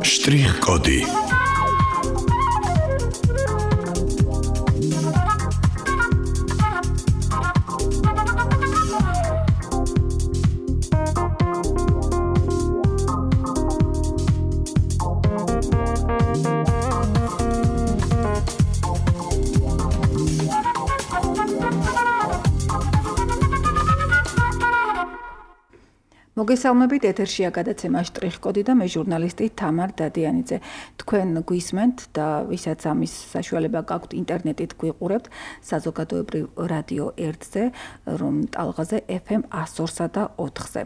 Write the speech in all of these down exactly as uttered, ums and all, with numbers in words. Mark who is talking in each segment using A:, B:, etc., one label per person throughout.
A: Շտրիխ-կոդի
B: მოგესალმებით ეთერშია გადაცემა შტრიხ-კოდი და მე ჟურნალისტი თამარ დადიანიძე. თქვენ გვისმენთ და ვისაც ამის საშუალება გაქვთ ინტერნეტით გვიყურებთ საზოგადოებრივ რადიო ერთზე, რომ ტალღაზე ეფ ემ ათს და ოთხზე.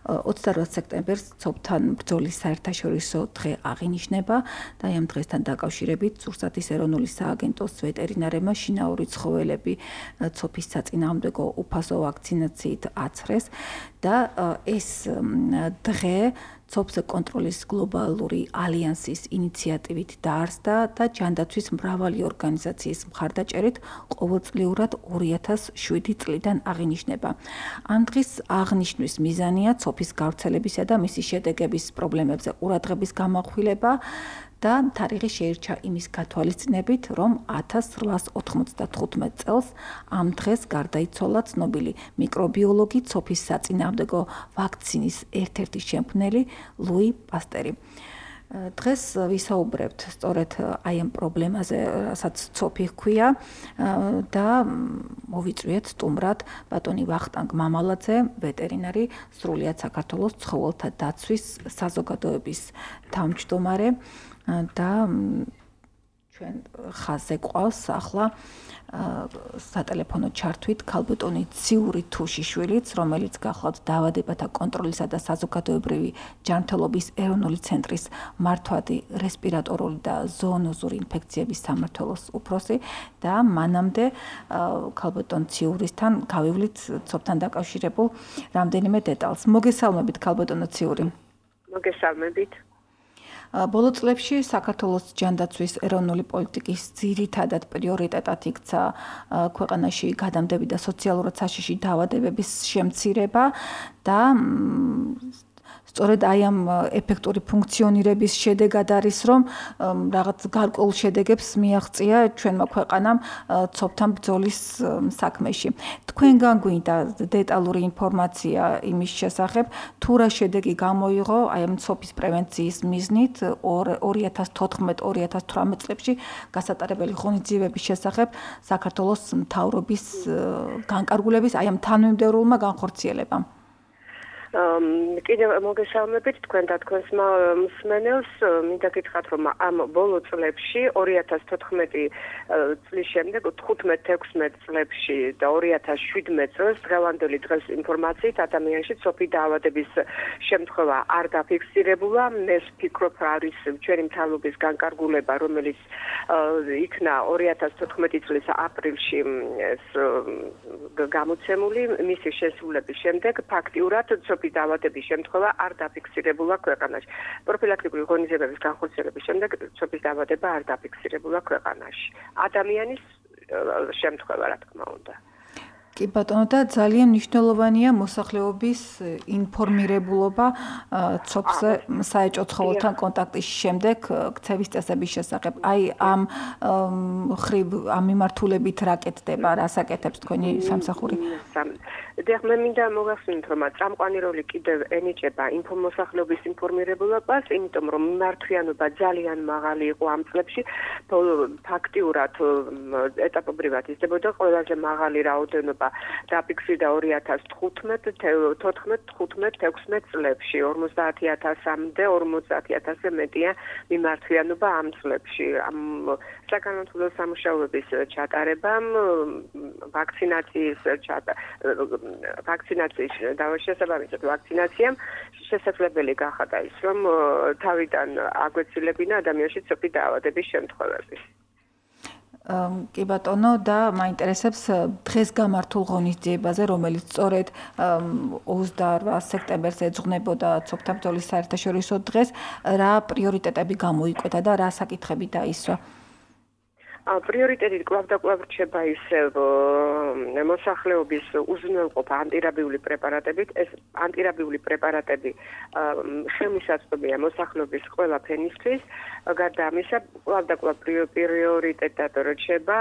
B: ოცდაოთხ სექტემბერს ცოფთან ბრძოლის საერთაშორისო დღე აღინიშნება და ამ დღესთან დაკავშირებით ზურგსათის ეროვნული სააგენტოს ვეტერინარებმა შინაური ცხოველები ცოფის საწინააღმდეგო უფასო ვაქცინაციით აცრეს და ეს დღე ცოფზე კონტროლის გლობალური ალიანსის ინიციატივით დაარსდა და ჯანდაცვის მრავალი ორგანიზაციის მხარდაჭერით ყოველწლიურად ორი ათას შვიდი წლიდან აღინიშნება. ამ დღის აღნიშვნის მიზანია ცოფის გავრცელებისა და მისი შედეგების პრობლემებზე ყურადღების გამახვილება და თარიღი შეირჩა იმის გათვალისწინებით, რომ ათას რვაას ოთხმოცდათხუთმეტ წელს ამ დღეს გარდაიცვალა ცნობილი მიკრობიოლოგი ცოფის საწინააღმდეგო ვაქცინის ერთ-ერთი შემქმნელი ლუი პასტერი. დღეს ვისაუბრებთ სწორედ აი ამ პრობლემაზე, რასაც ცოფი ჰქვია და მოვიწვიეთ სტუმრად ბატონი ვახტანგ მამალაძე, ვეტერინარი, სრულიად საქართველოს ცხოველთა დაცვის საზოგადოების თავმჯდომარე და ჩვენ ხაზზე გვყავს ახლა სატელეფონო ჩართვით ქალბატონი ციური თუშიშვილიც, რომელიც გახლავთ დაავადებათა კონტროლისა და საზოგადოებრივი ჯანმრთელობის ეროვნული ცენტრის მართვადი რესპირატორული და ზოონოზური ინფექციების სამმართველოს უფროსი და მანამდე ქალბატონ ციურისთან გავივლით ცოფთან დაკავშირებულ რამდენიმე დეტალს. მოგესალმებით ქალბატონო ციური.
C: მოგესალმებით.
B: ბოლო წლებში საქართველოს ჯანდაცვის ეროვნული პოლიტიკის ძირითადად პრიორიტეტად იქცა ქვეყანაში გადამდები და სოციალურად საშიში დაავადებების შემცირება და სწორედ აი ამ ეფექტური ფუნქციონირების შედეგად არის, რომ რაღაც გარკვეულ შედეგებს მიაღწია ჩვენმა ქვეყანამ ცოფთან ბრძოლის საქმეში. თქვენგან გვინდა დეტალური ინფორმაცია იმის შესახებ, თუ რა შედეგი გამოიღო აი ამ ცოფის პრევენციის მიზნით ორი ათას თოთხმეტ ორი ათას თვრამეტ წლებში გასატარებელი ღონისძიებების შესახებ საქართველოს მთავრობის განკარგულების აი ამ თანმიმდევრულმა განხორციელებამ.
C: კიდევ მოგესალმებით თქვენ და თქვენს მსმენელს. მინდა გითხრათ, რომ ამ ბოლო წლებში ორი ათას თოთხმეტი წლის შემდეგ თხუთმეტ ექვსმეტ წლებში და ორი ათას შვიდმეტ წელს დღევანდელი დღეს ინფორმაციით ადამიანში ცოფი დაავადების შემთხვევა არ დაფიქსირებულა. მე ვფიქრობ, არის ჩვენი მთავრობის განკარგულება, რომელიც იქნა ორი ათას თოთხმეტი წლის აპრილში გამოცემული. მისი შესრულების შემდეგ ფაქტიურად ცოფი დაავადების შემთხვევა არ დაფიქსირებულა ქვეყანაში. პროფილაქტიკური ღონისძიებების განხორციელების შემდეგ ცოფის დაავადება არ დაფიქსირებულა ქვეყანაში. ადამიანის შემთხვევა, რა თქმა უნდა.
B: კი ბატონო, და ძალიან მნიშვნელოვანია მოსახლეობის ინფორმირებულობა ცოფზე საეჭვო ცხოველთან კონტაქტის შემდეგ ქცევის წესების შესახებ. აი ამ ხრივ ამ მიმართულებით რა კეთდება, რას აკეთებს თქვენი სამსახური?
C: დიახ, მე მინდა მოგახსენოთ, რომ წამყვანი როლი კიდევ ენიჭება მოსახლეობის ინფორმირებულობას, იმიტომ რომ მიმართვიანობა ძალიან მაღალი იყო ამ წლებში. ფაქტიურად ეტაპობრივად იზრდებოდა ყველაზე მაღალი რაოდენობა დაფიქსირდა ორი ათას თხუთმეტ, თოთხმეტ, თხუთმეტ, ექვსმეტ წლებში, ორმოცდაათი ათასამდე, ორმოცდაათი ათასზე მეტია მიმართვიანობა ამ წლებში. ამ საგანმანათლებლო სამუშაოების ჩატარებამ, ვაქცინაციის ვაქცინაციის შესაბამისად ვაქცინაციამ შესაძლებელი გახადა ის, რომ თავიდან აგვეცილებინა ადამიანში ცოფი დაავადების შემთხვევები.
B: კი ბატონო, და მაინტერესებს დღეს გამართულ ღონისძიებაზე, რომელიც სწორედ ოცდაორ სექტემბერს ეძღვნებოდა ცოფთა ბრძოლის საერთაშორისო დღეს, რა პრიორიტეტები გამოიკვეთა და რა საკითხები დაისვა?
C: პრიორიტეტი კვლავ და კვლავ რჩება ისევ მოსახლეობის უზრუნველყოფა ანტირაბიული პრეპარატებით. ეს ანტირაბიული პრეპარატები ხელმისაწვდომია მოსახლეობის ყველა ფენისთვის. გარდა ამისა, კვლავ და კვლავ პრიორიტეტად რჩება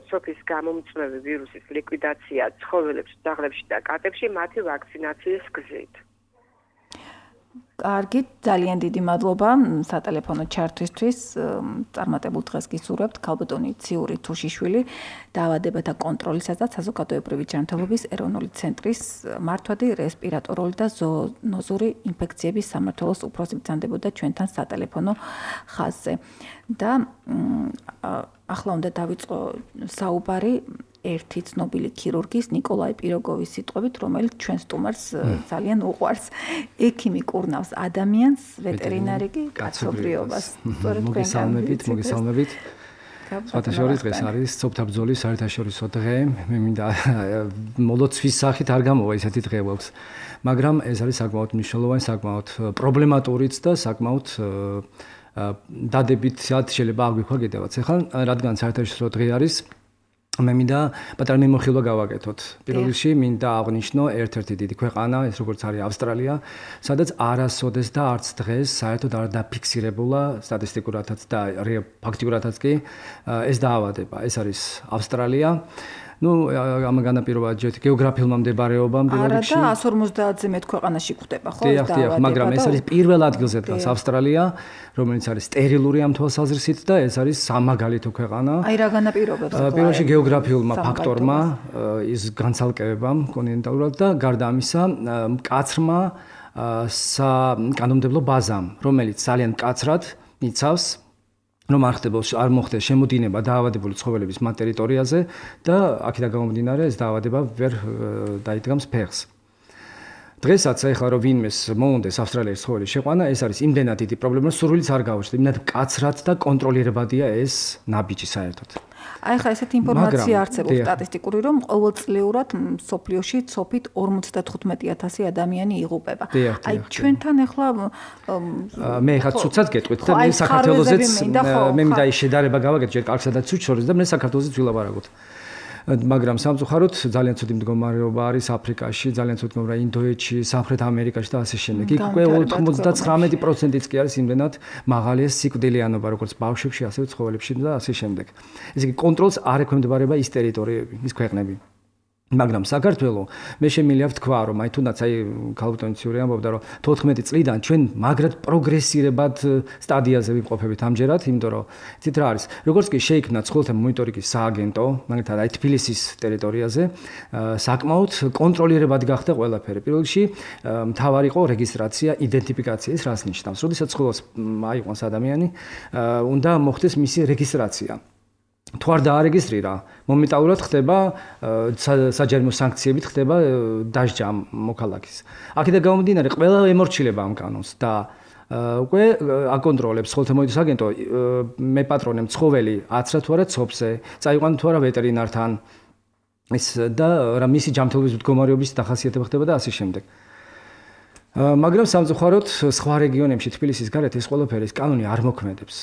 C: სოფლის გამომწვევი ვირუსის ლიკვიდაცია ცხოველებში, ძაღლებში და კატებში მათი ვაქცინაციის გზით.
B: კარგი, ძალიან დიდი მადლობა სატელეფონო ჩართვისთვის. წარმატებულ დღეს გისურვებთ. ქალბატონი ციური თუშიშვილი, დაავადებათა კონტროლისა და საზოგადოებრივი ჯანმრთელობის ეროვნული ცენტრის მართვადი რესპირატორული და ზოონოზური ინფექციების სამმართველოს უფროსი ბრძანდებოდა ჩვენთან სატელეფონო ხაზზე. და ახლა უნდა დავიწყო საუბარი ერთი ცნობილი ქირურგის ნიკოლაი პიროგოვის სიტყვებით, რომელიც ჩვენ სტუმარს ძალიან უყვარს. ექიმი კურნავს ადამიანს, ვეტერინარი კი კაცობრიობას.
A: მოგესალმებით, მოგესალმებით. საერთაშორისო დღეს არის სოფთა ბრძოლის საერთაშორისო დღე. მე მინდა მოლოცვის სახით არ გამოვა ესეთი დღე გვაქვს. მაგრამ ეს არის საკმაოდ მნიშვნელოვანი, საკმაოდ პრობლემატურიც და საკმაოდ დადებითად შეიძლება აღვიქვა კიდევაც. ახლა რადგან საერთაშორისო დღე არის, მე მინდა პატარა მიმოხილვა გავაკეთოთ. პირველ რიგში მინდა აღვნიშნო ერთ-ერთი დიდი ქვეყანა, ეს როგორც არის ავსტრალია, სადაც არასოდეს და არც დღეს საერთოდ არ დაფიქსირებულა სტატისტიკურადაც და ფაქტიურადაც კი ეს დაავადება. ეს არის ავსტრალია. ну ამ განაპირობად ჯერ გეოგრაფიულმა მდებარეობამ პირველ რიგში.
B: არა და εκατს ორმოცდაათზე მეტ ქვეყანაში გვხვდება, ხო?
A: დიახ, დიახ, მაგრამ ეს არის პირველ ადგილზე დგას ავსტრალია, რომელიც არის სტერილური ამ თვალსაზრისით და ეს არის სამაგალითო ქვეყანა.
B: აი რა განაპირობებს?
A: პირველ რიგში გეოგრაფიულმა ფაქტორმა, ის განცალკევებამ კონტინენტალურად და გარდა ამისა, მკაცრმა საკანონმდებლო ბაზამ, რომელიც ძალიან მკაცრად იცავს რომ არ ხდებოს არ მოხდეს შემოდინება დაავადებული ცხოველების მათ ტერიტორიაზე და აქედან გამომდინარე ეს დაავადება ვერ დაიდგამს ფეხს. დღესაც ახლა რომ ვინმეს მოუნდეს ავსტრალიის ცხოველის შეყვანა, ეს არის იმდენად დიდი პრობლემა, რომ სურვილიც არ გაუჩნდება, იმდენად მკაცრად და კონტროლირებადია ეს ნაბიჯი საერთოდ.
B: აი ხა ესეთი ინფორმაცია არსებობს სტატისტიკური, რომ ყოველწლიურად სოფლიოში ცოფით ორმოცდათხუთმეტი ათასი ადამიანი იღუპება. აი ჩვენთან ახლა
A: მე ხა ცუცად გეტყვით და მე საქართველოსეც მე მინდა ის შედარება გავაკეთე ჯერ კარგსა და ცუც შორის და მე საქართველოსეც ვილაპარაკოთ. მაგრამ სამწუხაროდ ძალიან ცუდი მდგომარეობა არის აფრიკაში, ძალიან ცუდი მდგომარეობა ინდოეთში, სამხრეთ ამერიკაში და ასე შემდეგ. იქ უკვე ოთხმოცდათხრამეტი პროცენტიც კი არის იმდენად მაღალია სიკვდილიანობა, როგორც ბავშვებში, ასევე ცხოველებში და ასე შემდეგ. ესე იგი კონტროლს არ ექვემდებარება ის ტერიტორიები, ის ქვეყნები. მაგრამ საქართველოს მე შემიძლია ვთქვა, რომ აი თუნდაც აი ქალბატონი ციური ამბობდა, რომ თოთხმეტი წლიდან ჩვენ მაგრად პროგრესირებად სტადიაზე ვიმყოფებით ამჯერად, იმიტომ რომ ცით რა არის, როგორც კი შეიქმნა ცხოველთა მონიტორინგის სააგენტო, მაგალითად აი თბილისის ტერიტორიაზე, საკმაოდ კონტროლირებად გახდა ყველაფერი. პირველ რიგში მთავარი იყო რეგისტრაცია, იდენტიფიკაცია, ეს რას ნიშნავს? როდესაც ცხოველს აიყვანს ადამიანი, უნდა მოხდეს მისი რეგისტრაცია. თუ არ დაარეგისტრირა, მომენტალურად ხდება საჯარიმო სანქციებით ხდება დასჯა მოქალაქის. აქედან გამომდინარე, ყველა ემორჩილება ამ კანონს და უკვე აკონტროლებს ცხოველთა მონიტორინგის აგენტო, მეპატრონემ ცხოველი აცრა თუ არა ცოფზე, წაიყვანა თუ არა ვეტერინართან. ეს და რა მისი ჯანმრთელობის მდგომარეობის დახასიათება ხდება და ასე შემდეგ. მაგრამ სამწუხაროდ სხვა რეგიონებში თბილისის გარეთ ეს ყველაფერი კანონი არ მოქმედებს.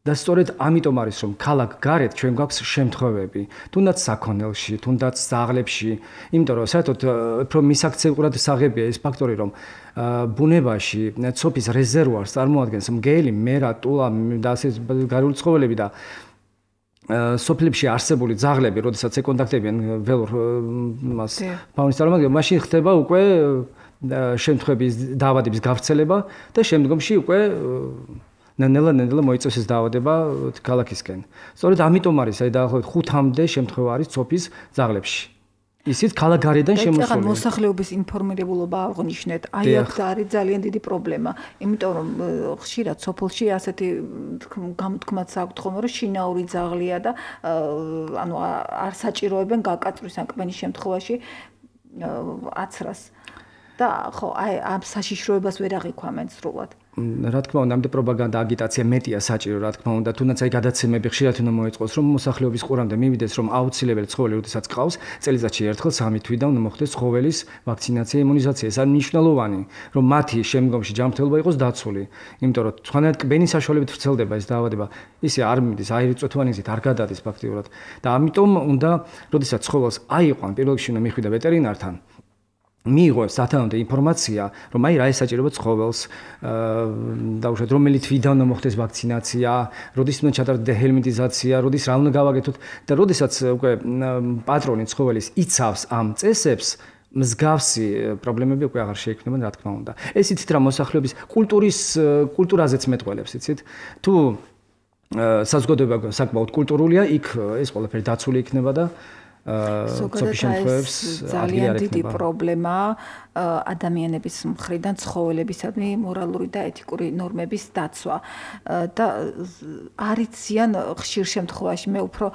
A: და სწორედ ამიტომ არის რომ ქალაქ გარეთ ჩვენ გვაქვს შემთხვევები, თუნდაც საქონელში, თუნდაც ძაღლებში, იმიტომ რომ საერთოდ უფრო მისაქცევრად საღებია ეს ფაქტორი, რომ ბუნებაში ცოფის რეზერვუარს წარმოადგენს მგელი, მერა, ტულა და ასე გარეული ცხოველები და სოფლებში არსებული ძაღლები, როდესაც ეკონტაქტებიან ველურ მას ფაუნის წარმომადგენლებს, მაშინ ხდება უკვე შემთხვევების დაავადების გავრცელება და შემდგომში უკვე ნელა-ნელა მოიწევს ეს დაავადება ქალაქისკენ. სწორედ ამიტომ არის აი დაახლოებით ხუთამდე შემთხვევა არის ცოფის ძაღლებში. ისიც ქალაქ გარედან შემოსული.
B: და მოსახლეობის ინფორმირებულობა აღნიშნეთ. აი აქ არის ძალიან დიდი პრობლემა. იმიტომ რომ ხშირად სოფელში ასეთი გამოთქმაც აქვთ ხოლმე, რომ შინაური ძაღლია და ანუ არ საჭიროებენ გაკაწვის ან კმენის შემთხვევაში აცრას. და ხო, აი ამ საშიშროებას ვერ აღიქვამენ სრულად.
A: რა თქმა უნდა, ამდე პროპაგანდა, აგიტაცია მეტია საჭირო, რა თქმა უნდა, თუნდაც აი გადაცემები ხშირად უნდა მოეწყოს, რომ მოსახლეობის ყურამდე მივიდეს, რომ აუცილებელი ცხოველი როდესაც ყავს, წელიწადში ერთხელ სამი თვიდან უნდა მოხდეს ცხოველის ვაქცინაცია, იმუნიზაცია. ეს არის მნიშვნელოვანი, რომ მათი შემდგომში ჯანმრთელობა იყოს დაცული. იმიტომ რომ თქვენად კბენის საშუალებით ვრცელდება ეს დაავადება, ისე არ მიდის, აირიწვეთოვანი გზით არ გადადის ფაქტიურად. და ამიტომ უნდა, როდესაც ცხოველს აიყვან, პირველ რიგში უნდა მიხვიდა ვეტერინართან. მიიღოს სათანადო ინფორმაცია, რომ აი რა ესაჭიროება ცხოველს, დაუშვათ რომელი თვიდან უნდა მოხდეს ვაქცინაცია, როდის უნდა ჩატარდეს დეჰელმინტიზაცია, როდის რა უნდა გავაკეთოთ და როდესაც უკვე პატრონი ცხოველის იცავს ამ წესებს, მსგავსი პრობლემები უკვე აღარ შეიქმნება, რა თქმა უნდა. ეს იცით რა მოსახლეობის კულტურის კულტურაზეც მეტყველებს, იცით? თუ საზოგადოება საკმაოდ კულტურულია, იქ ეს ყველაფერი დაცული იქნება და
B: ზოგადად ძალიან დიდი პრობლემაა ადამიანების მხრიდან ცხოველებისადმი მორალური და ეთიკური ნორმების დაცვა და არიციან ხშირ შემთხვევაში მე უფრო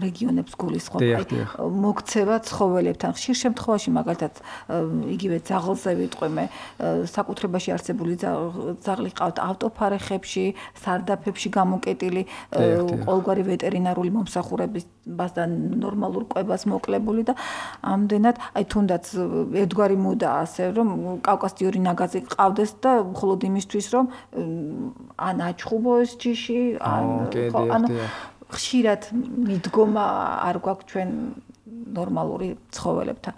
B: რეგიონებს გულისხმობ მოგცევა ცხოველებთან ხშირ შემთხვევაში მაგალითად იგივე ძაღლზე ვიტყვი მე საკუთრებაში არსებული ძაღლი ყავთ ავტოფარეხებში სარდაფებში გამოკეტილი ყოველგვარი ვეტერინარული მომსახურებასთან და ნორმალურ ყვებას მოკლებული და ამდენად აი თუნდაც ერთგვარი მოდა ასე რომ კავკასიური ნაგაზი ყავდეს და მხოლოდ იმისთვის რომ ან აჩხუბო ეს ჯიში ან ანუ ხშირად მიდგომა არ გვაქვს ჩვენ ნორმალური ცხოველებთან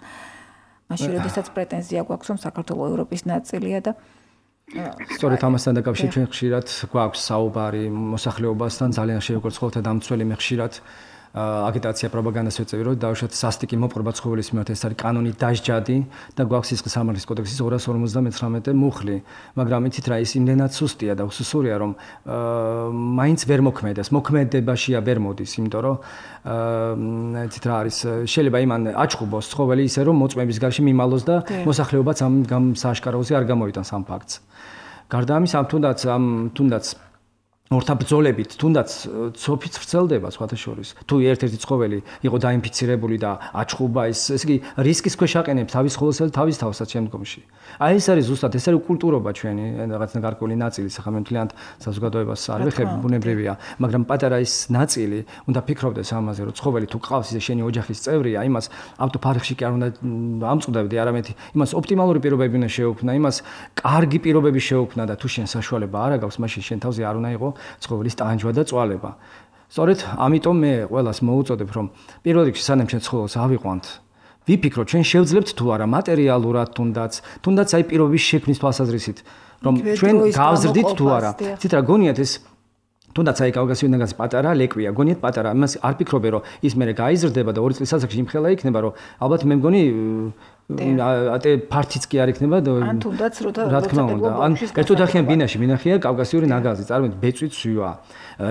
B: მაშინ როდესაც პრეტენზია გვაქვს რომ საქართველოს ევროპის ნაწილია და
A: სწორედ ამასთან დაკავშირებით ჩვენ ხშირად გვაქვს საუბარი მოსახლეობასთან ძალიან შეგვიძლია ცხოველთა დამცველი მე ხშირად აგიტაცია პროპაგანდას ვეწევი რომ დავუშვათ სასტიკი მოპყრობა ცხოველის მიმართ ეს არის კანონით დასჯადი და გვაქვს სისხლის სამართლის კოდექსის ორას ორმოცდამეცხრამეტე მუხლი მაგრამ იცით რა ის იმდენად სუსტია და უსუსურია რომ მაინც ვერ მოქმედებს მოქმედებაშია ვერ მოდის იმიტომ რომ იცით რა არის შეიძლება იმან აჩხუბოს ცხოველი ისე რომ მოწმების გარშემო მიმალოს და მოსახლეობაც ამ სააშკაროზე არ გამოიტანს ამ ფაქტს გარდა ამის ამ თუნდაც ამ თუნდაც ორთა ბრძოლებით თუნდაც ცოფიც ვრცელდება სხვათა შორის თუ ერთ-ერთი ცხოველი იყო დაინფიცირებული და აჩხუბა ეს ესე იგი რისკის ქვეშ აყენებს თავის ცხოველსა და თავის თავსაც შემდგომში აი ეს არის ზუსტად ეს არის კულტურობა ჩვენი რაღაც გარკვეული ნაწილი ხა მე მთლიანად საზოგადოებას არ ვეხები ბუნებრივია მაგრამ პატარა ის ნაწილი უნდა ფიქრობდეს ამაზე რომ ცხოველი თუ ყავს ისე შენი ოჯახის წევრია იმას ავტოფარეხში კი არ უნდა ამწყდებდი არამედ იმას ოპტიმალური პირობები უნდა შეეუფნა იმას კარგი პირობები შეეუფნა და თუ შენ საშუალება არ აქვს მაშინ შენ თავზე არ უნდა იყო ცხოველის ტანჯვა და წვალება. სწორედ ამიტომ მე ყველას მოუწოდებ რომ პირველ რიგში სანამ ჩვენ ცხოველს ავიყვანთ, ვიფიქროთ ჩვენ შევძლებთ თუ არა მატერიალურად თუნდაც, თუნდაც აი პირობის შექმნის თვალსაზრისით, რომ ჩვენ გავზრდით თუ არა. ცით რა გონიათ ეს თუნდაც აი კავკასიური ნაგაზი პატარა ლეკვია, გონიათ პატარა, იმას არ ფიქრობე რომ ის მერე გაიზრდება და ორი წლის ასაკში იმხელა იქნება რომ ალბათ მე მგონი ატე ფართიც კი არ იქნება და
B: ან თუნდაც
A: რა თქმა უნდა ან ერთოთახიან ბინაში მინახია კავკასიური ნაგაზი წარმოვიდგინეთ ბეწვით სვივა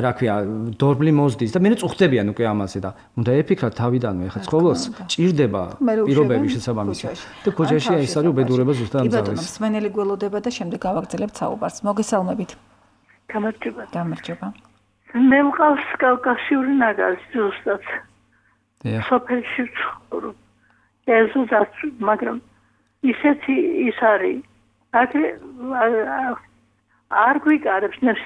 A: რა ქვია დორბლი მოზდის და მე წუხდებიან უკვე ამაზე და უნდა ეფიქრათ თავიდანვე ხა ცხოველს ჭირდება პირობები შესაბამისი და ქუჩაში ეს არის უბედურება ზუსტად ამ
B: ძალის. კი ბატონო, მსმენელი გველოდება და შემდეგ გავაგრძელებთ საუბარს. მოგესალმებით.
C: გამარჯობა.
B: გამარჯობა.
C: მე მყავს კავკასიური ნაგაზი ზუსტად.
A: დიახ.
C: სოფელში ვცხოვრობ. ეზოდაც მაგრამ ისეთი ის არის აქ არ გვიკარებს ნებს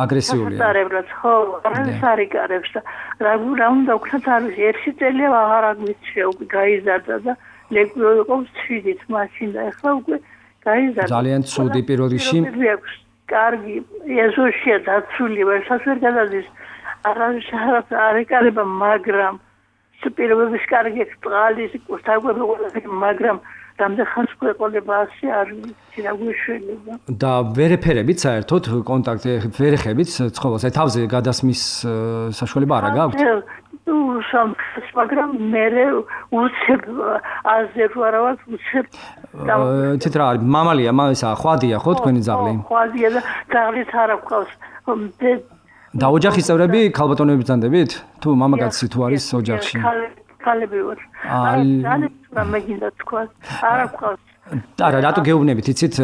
A: აგრესიულია
C: დარებლად ხო არ არიკარებს და რა რა უნდა ვქნათ არის ერთი წელია აღარ აგვიჩე უკვე გაიზარდა და ლეკვიო იყო შვიდით მაშინ და ახლა უკვე გაიზარდა
A: ძალიან ცუდი პირველ რიგში
C: კარგი ეზოშია დაცული ვერსაც ვერ გადადის არავის არ ეკარება მაგრამ სპირობების კარგი წყალის კურთაგვები ყველაფერი მაგრამ რამდენ ხანს ყოლება ასე არ ვიცი რა გვეშველება
A: და ვერეფერებით საერთოდ კონტაქტი ვერეხებით ცხოველს აი თავზე გადასმის საშუალება არა გაქვთ
C: თუ სამ მაგრამ მე უცებ აზე რა ვარ უცებ
A: ცით რა არის მამალია მასა ხვადია ხო თქვენი ძაღლი
C: ხვადია და ძაღლიც არ აქვს
A: და ოჯახის წევრები ქალბატონები ბრძანდებით? თუ მამაკაცი თუ არის ოჯახში?
C: ქალები ვარ. აა, ძალიან მაგინდა თქვა. არ აქვს.
A: არა, რატო გეუბნებით, იცით,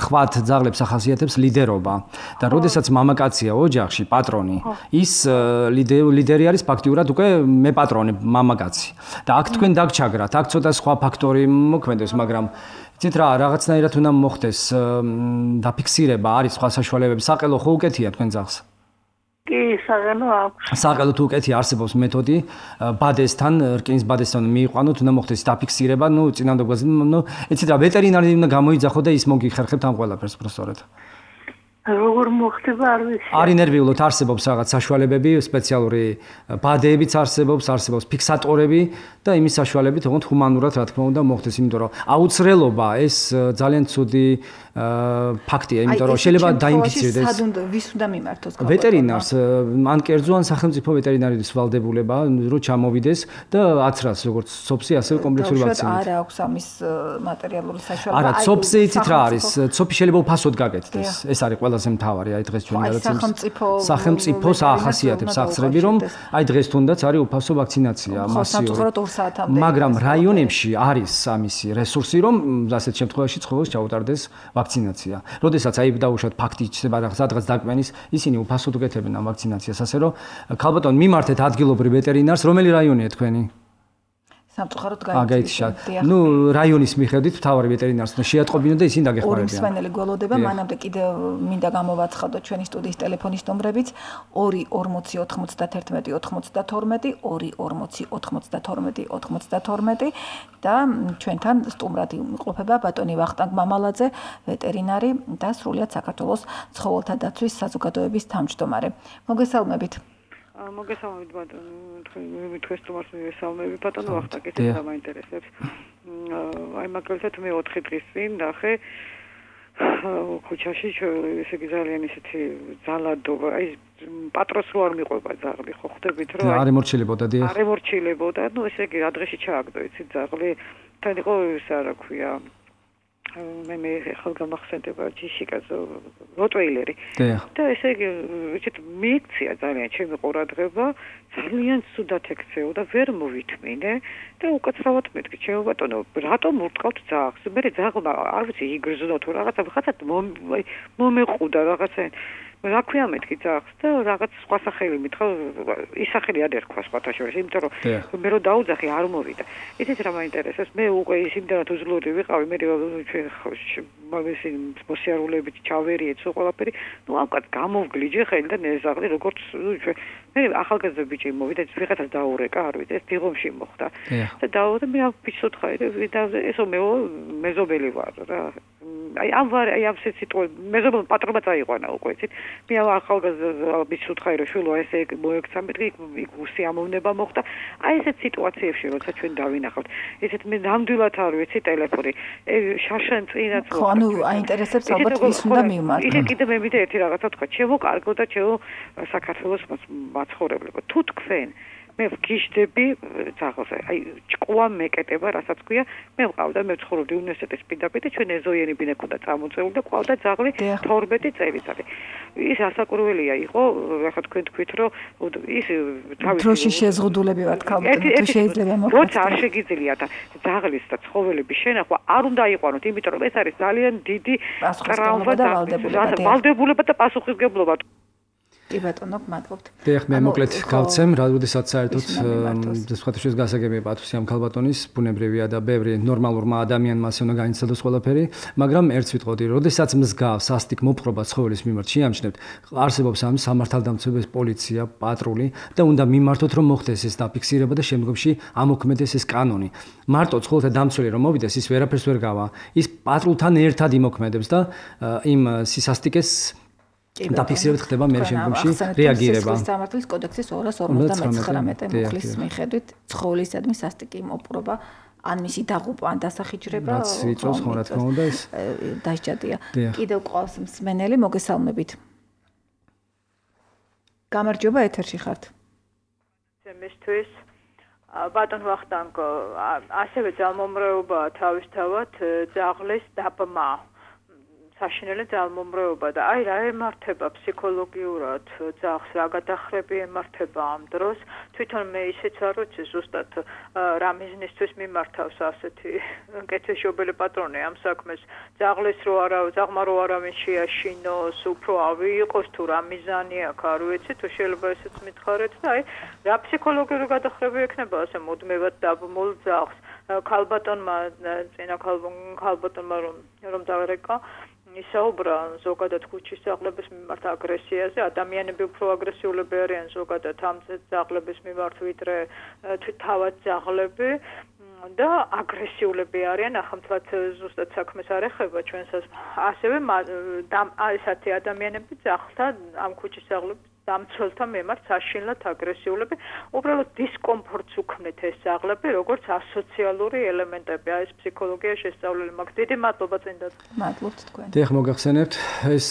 A: ხვათ ძაღლებს ახასიათებს ლიდერობა და როდესაც მამაკაცია ოჯახში, პატრონი, ის ლიდერი არის ფაქტიურად უკვე მე პატრონი, მამაკაცი. და აქ თქვენ დაგჩაგრათ, აქ ცოტა სხვა ფაქტორი მოქმედებს, მაგრამ იცით რა, რაღაცნაირად უნდა მოხდეს დაფიქსირება, არის სხვა საშუალებები, საყელო ხო უკეთია თქვენ ძაღლს?
D: კი, საღელო აქვს.
A: საყელო თუ უკეთი არსებობს მეთოდი, ბადესთან, რკინის ბადესთან მიიყვანოთ, უნდა მოხდეს დაფიქსირება, ნუ წინამდებობაზე, ნუ იცით რა, ვეტერინარი უნდა გამოიძახო და ის მოგიხერხებთ ამ ყველაფერს პროფესორად.
D: როგორ მოხდება არ ვიცი.
A: არ ინერვიულოთ, არსებობს რაღაც საშუალებები, სპეციალური ბადეებიც არსებობს, არსებობს ფიქსატორები და იმის საშუალებით, თქო, ჰუმანურად რა თქმა უნდა მოხდეს, იმიტომ რომ აუცილებლობა ეს ძალიან ცუდი ფაქტია, იმიტომ რომ შეიძლება დაინფიცირდეს.
B: სად უნდა ვის უნდა მიმართოს?
A: ვეტერინარს, ან კერძო ან სახელმწიფო ვეტერინარის ვალდებულება, რომ ჩამოვიდეს და აცრას როგორც სოფსი, ასევე კომპლექსური ვაქცინით.
B: არა აქვს ამის მატერიალური საშუალება.
A: არა, სოფსი იცით რა არის? სოფი შეიძლება უფასოდ გაკეთდეს. ეს არის ყველაზე მთავარი, აი დღეს ჩვენი გადაცემის სახელმწიფოს ახასიათებს აღწრები, რომ აი დღეს თუნდაც არის უფასო ვაქცინაცია მასიური. მაგრამ რაიონებში არის ამისი რესურსი, რომ ასეთ შემთხვევაში ცხოველს ჩაუტარდეს ვაქცინაცია. როდესაც აი დაუშვათ ფაქტი იქნება რაღაც სადღაც დაკვენის, ისინი უფასოდ უკეთებენ ამ ვაქცინაციას, ასე რომ ქალბატონ მიმართეთ ადგილობრივ ვეტერინარს, რომელი რაიონია თქვენი?
B: სამწუხაროდ
A: გაიცით. ნუ რაიონის მიხედვით მთავარი ვეტერინარს შეატყობინო და ისინი დაგეხმარებიან.
B: ორი მსმენელი გველოდება, მანამდე კიდევ მინდა გამოვაცხადოთ ჩვენი სტუდიის ტელეფონის ნომრებიც ორი ორმოცი ოთხმოცდათერთმეტი ოთხმოცდათორმეტი, ორი ორმოცი ოთხმოცდათორმეტი ოთხმოცდათორმეტი და ჩვენთან სტუმრად იმყოფება ბატონი ვახტანგ მამალაძე, ვეტერინარი და სრულიად საქართველოს ცხოველთა დაცვის საზოგადოების თავმჯდომარე. მოგესალმებით.
D: მოგესალმებით ბატონო, თქვენ სტუმარს მივესალმები ბატონო ვახტანგ, ეს დამაინტერესებს. აი მაგალითად მე ოთხი დღის წინ ნახე ქუჩაში, ესე იგი ძალიან ისეთი ძალადობა, აი პატრონს რო არ მიყვება ძაღლი, ხო ხვდებით რომ
A: არ ემორჩილებოდა დიახ.
D: არ ემორჩილებოდა, ნუ ესე იგი რა დღეში ჩააგდო იცით ძაღლი, თან იყო ის რა ქვია მე მე ხალ გამახსენდება ჯიშიკაზე როტვეილერი და ესე იგი ვიცით მიიქცია ძალიან ჩემი ყურადღება ძალიან ცუდად ექცეო და ვერ მოვითმინე და უკაცრავად მეთქი ჩემო ბატონო რატომ ურტყავთ ძაღლს მე ძაღლმა არ ვიცი იგრძნო თუ რაღაცა ხაცად მომეყუდა რაღაცა რა ქვია მეთქი ძაღლს და რაღაც სხვა სახელი მითხრა ის სახელი არ ერქვა სხვათა შორის იმიტომ რომ მე რო დაუძახი არ მოვიდა იცით რა მაინტერესებს მე უკვე ის იმდანაც უძლური ვიყავი მე მაგისი მოსიარულეებით ჩავერიეთ სულ ყველაფერი ნუ ამკაც გამოვგლიჯე ხელი და ნეზაღლი როგორც მე ახალგაზრდა ბიჭი მოვიდა ვიღაცას დაურეკა არ ვიცი ეს დიღომში მოხდა და დაურეკა მე ბიჭს უთხარი და ესო მე მეზობელი ვარ რა აი ამ ვარ აი ამ სიტყვა მეზობელ პატრონმა წაიყვანა უკვე იცით მე ახალგაზრდა ბიჭს უთხარი რომ შვილო ესე მოექცა მეთქი იქ უსიამოვნება მოხდა აი ესეთ სიტუაციებში როცა ჩვენ დავინახავთ ესეთ მე ნამდვილად არ ვიცი ტელეფონი შაშან წინაც
B: ხო ანუ აინტერესებს ალბათ ვის უნდა მივმართო
D: ისე კიდე მე მითხრა ერთი რაღაცა თქვა ჩემო კარგო და ჩემო საქართველოს მაცხოვრებლებო თუ თქვენ მე ვგიჟდები ძაღლზე აი ჭკუა მეკეტება რასაც ქვია მე ვყავდა მე ვცხოვრობდი უნივერსიტეტის პირდაპირ და ჩვენ ეზოიენი ბინა ქონდა წამოწეული და ყავდა ძაღლი თორმეტი წელიწადი ის ასაკურველია იყო ახლა თქვენ თქვით რომ ის
B: თავის დროში შეზღუდულები ვართ ქალბატონო თუ შეიძლება მოხდეს
D: როცა არ შეგიძლია და ძაღლის და ცხოველების შენახვა არ უნდა იყვანოთ იმიტომ რომ ეს არის ძალიან დიდი
B: ტრავმა და
D: ვალდებულება და პასუხისმგებლობა
B: კი ბატონო, მადლობთ.
A: დიახ, მე მოკლედ გავცემ, როდესაც საერთოდ სხვათაშორის გასაგებია პათოსი ამ ქალბატონის, ბუნებრივია და ბევრი ნორმალურმა ადამიანმა ასე უნდა განიცადოს ყველაფერი, მაგრამ ერთს ვიტყოდი, როდესაც მსგავს სასტიკ მოპყრობა ცხოველის მიმართ შეამჩნევთ, არსებობს ამ სამართალდამცავების პოლიცია, პატრული და უნდა მიმართოთ რომ მოხდეს ეს დაფიქსირება და შემდგომში ამოქმედეს ეს კანონი. მარტო ცხოველთა დამცველი რომ მოვიდეს, ის ვერაფერს ვერ გავა. ის პატრულთან ერთად იმოქმედებს და იმ სისასტიკეს დაფიქსირებით ხდება მე შემდგომში რეაგირება.
B: სამართლის კოდექსის ორას ორმოცდამეცხრამეტე მუხლის მიხედვით ცხოველისადმი სასტიკი მოპყრობა ან მისი დაღუპვა ან დასახიჯრება
A: რაც იწვევს ხო რა თქმა უნდა ეს
B: დასჯადია. კიდევ ყავს მსმენელი მოგესალმებით. გამარჯობა ეთერში ხართ.
E: მისთვის ბატონ ვახტანგ ასევე ძალმომრეობაა თავისთავად ძაღლის დაბმა საშინელი ძალმომრეობა და აი რა ემართება ფსიქოლოგიურად ძაღლს, რა გადახრები ემართება ამ დროს. თვითონ მე ისეც არ ვიცი ზუსტად რა მიზნისთვის მიმართავს ასეთი კეთილშობილი პატრონი ამ საქმეს. ძაღლის რო არა, ძაღმა რო არავინ შეაშინოს, უფრო ავიღოს თუ რა მიზანი აქვს, არ ვიცი, თუ შეიძლება ესეც მითხარეთ და აი რა ფსიქოლოგიური გადახრები ექნება ასე მუდმივად დაბმულ ძაღლს. ქალბატონმა წინა ქალბატონმა რომ რომ დაერეკა ისაუბრა ზოგადად ქუჩის ძაღლების მიმართ აგრესიაზე. ადამიანები უფრო აგრესიულები არიან ზოგადად ამ ძაღლების მიმართ ვიდრე თავად ძაღლები და აგრესიულები არიან. ახამთლად ზუსტად საქმეს არ ეხება ჩვენსაც. ასევე ესეთი ადამიანები ძაღლთა ამ ქუჩის ძაღლების დამცველთა მიმართ საშინლად აგრესიულები, უბრალოდ დისკომფორტს უქმნით ეს ძაღლები, როგორც ასოციალური ელემენტები. აი ეს ფსიქოლოგია შესწავლილი მაქვს. დიდი მადლობა წინდად.
B: მადლობთ თქვენ.
A: დიახ, მოგახსენებთ, ეს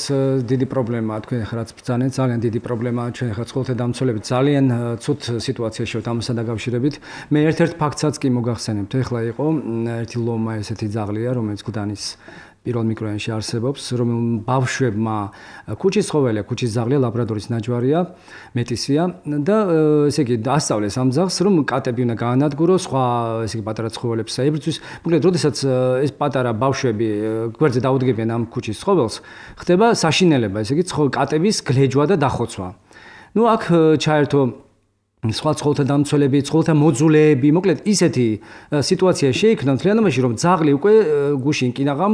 A: დიდი პრობლემაა თქვენ ახლა რაც ბრძანეთ, ძალიან დიდი პრობლემაა ჩვენ ახლა ცხოველთა დამცველებით. ძალიან ცუდ სიტუაციაში ვართ ამასთან დაკავშირებით. მე ერთ-ერთ ფაქტსაც კი მოგახსენებთ, ახლა იყო ერთი ლომა ესეთი ძაღლია, რომელიც გუდანის პირველ მიკრორაიონში არსებობს, რომელმ ბავშვებმა ქუჩის ცხოველია, ქუჩის ძაღლია, ლაბრადორის ნაჯვარია, მეტისია და ესე იგი ასწავლეს ამ ძაღლს, რომ კატები უნდა გაანადგუროს, სხვა ესე იგი პატარა ცხოველებს აიბრძვის. მოკლედ, როდესაც ეს პატარა ბავშვები გვერდზე დაუდგებიან ამ ქუჩის ცხოველს, ხდება საშინელება, ესე იგი კატების გლეჯვა და დახოცვა. ნუ აქ ჩაერთო სხვა ცხოველთა დამცველები, ცხოველთა მოძულეები, მოკლედ ისეთი სიტუაცია შეიქმნა მთლიანობაში, რომ ძაღლი უკვე გუშინ კინაღამ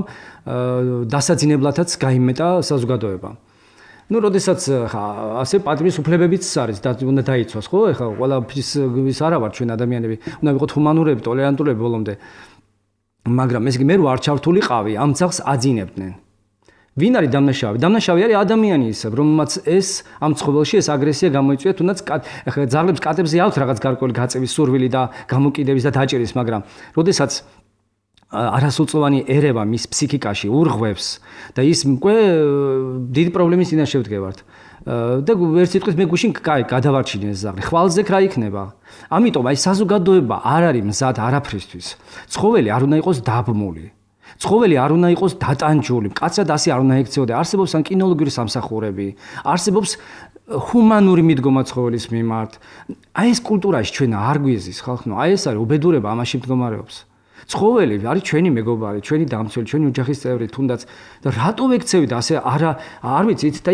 A: დასაძინებლათაც გაიმეტა საზოგადოება. ნუ, როდესაც ხა ასე პატიმრის უფლებებიც არის და უნდა დაიცვას, ხო? ეხლა ყველაფრის ის არა ვარ ჩვენ ადამიანები, უნდა ვიყოთ ჰუმანურები, ტოლერანტულები ბოლომდე. მაგრამ ესე იგი მე რო არ ჩავთულიყავი, ამ ძაღლს აძინებდნენ. ვინ არის დამნაშავე? დამნაშავე არის ადამიანი ისევ, რომელმაც ეს ამ ცხოველში ეს აგრესია გამოიწვია, თუნდაც ახლა ძაღლებს კატებზე აქვს რაღაც გარკვეული გაწევის სურვილი და გამოკიდების და დაჭერის, მაგრამ როდესაც არასრულწლოვანი ერევა მის ფსიქიკაში ურღვევს და ის უკვე დიდი პრობლემის წინაშე ვდგევართ. და ერთ სიტყვით მე გუშინ კაი გადავარჩინე ეს ზაღლი. ხვალზე რა იქნება? ამიტომ აი საზოგადოება არ არის მზად არაფრისთვის. ცხოველი არ უნდა იყოს დაბმული. ცხოველი არ უნდა იყოს დატანჯული, კაცად ასე არ უნდა ექცეოდა. არსებობს ან კინოლოგიური სამსახურები, არსებობს ჰუმანური მიდგომა ცხოველის მიმართ. აი ეს კულტურაში ჩვენ არ გვიზის ხალხო, აი ეს არის უბედურება ამაში მდგომარეობს. ცხოველი არის ჩვენი მეგობარი, ჩვენი დამცველი, ჩვენი ოჯახის წევრი, თუნდაც და რატო ვექცევით ასე არა არ ვიცით და